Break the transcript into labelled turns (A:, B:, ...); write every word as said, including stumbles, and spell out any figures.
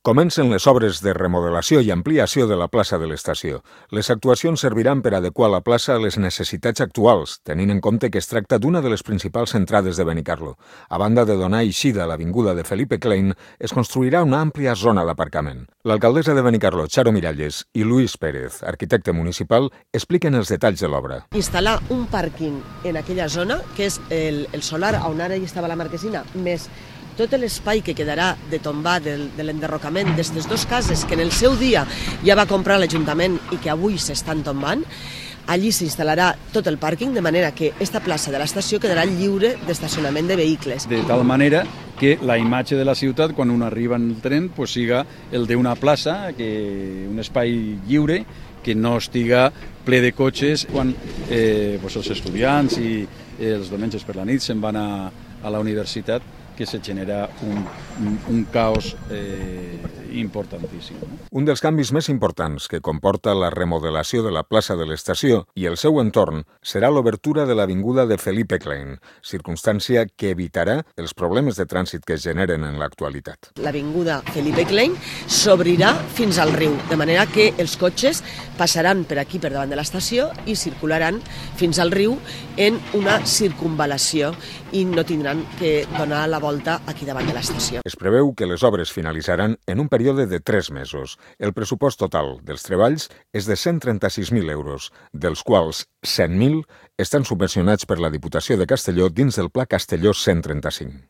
A: Comencen les obres de remodelació i ampliació de la plaça de l'estació. Les actuacions serviran per adequar la plaça a les necessitats actuals, tenint en compte que es tracta d'una de les principals entrades de Benicarló. A banda de donar eixida a l'avinguda de Felipe Klein, es construirà una àmplia zona d'aparcament. L'alcaldessa de Benicarló, Charo Miralles, i Luis Pérez, arquitecte municipal, expliquen els detalls de l'obra.
B: Instal·lar un pàrquing en aquella zona, que és el, el solar on ara hi estava la marquesina, més tot l'espai que quedarà de tombar del, de l'enderrocament d'aquestes dues cases que en el seu dia ja va comprar l'Ajuntament i que avui s'estan tombant, allí s'instal·larà tot el pàrquing, de manera que aquesta plaça de l'estació quedarà lliure d'estacionament de vehicles.
C: De tal manera que la imatge de la ciutat, quan un arriba en el tren, pues, siga el d'una plaça, que un espai lliure, que no estiga ple de cotxes quan eh, pues, els estudiants i eh, els diumenges per la nit se'n van a, a la universitat, que se genera un, un, un caos eh, importantíssim. No?
A: Un dels canvis més importants que comporta la remodelació de la plaça de l'estació i el seu entorn serà l'obertura de l'avinguda de Felipe Klein, circumstància que evitarà els problemes de trànsit que es generen en l'actualitat.
B: L'avinguda Felipe Klein s'obrirà fins al riu, de manera que els cotxes passaran per aquí, per davant de l'estació, i circularan fins al riu en una circunvalació i no tindran que donar la volta aquí davant de l'estació.
A: Es preveu que les obres finalitzaran en un període de tres mesos. El pressupost total dels treballs és de cent trenta-sis mil euros, dels quals cent mil estan subvencionats per la Diputació de Castelló dins del Pla Castelló cent trenta-cinc.